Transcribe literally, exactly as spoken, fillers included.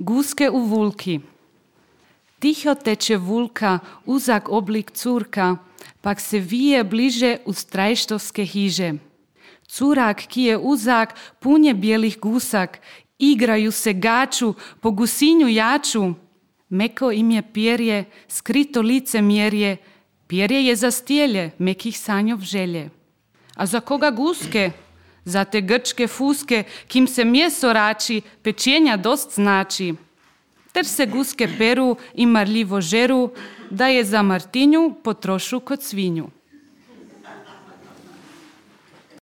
Guske u vulki. Ticho teče vulka, uzak oblik curka, pak se vije bliže u strajštovske hiže. Curak, ki je uzak, pun je bijelih gusak, igraju se gaču, po gusinju jaču. Meko im je pjerje, skrito lice mjerje, pjerje je za stjelje, mekih sanjov želje. A za koga guske? Za te grčke fuske, kim se mjesto rači, pečenja dost znači. Ter se guske peru i marljivo žeru, da je za Martinju potrošu kod svinju.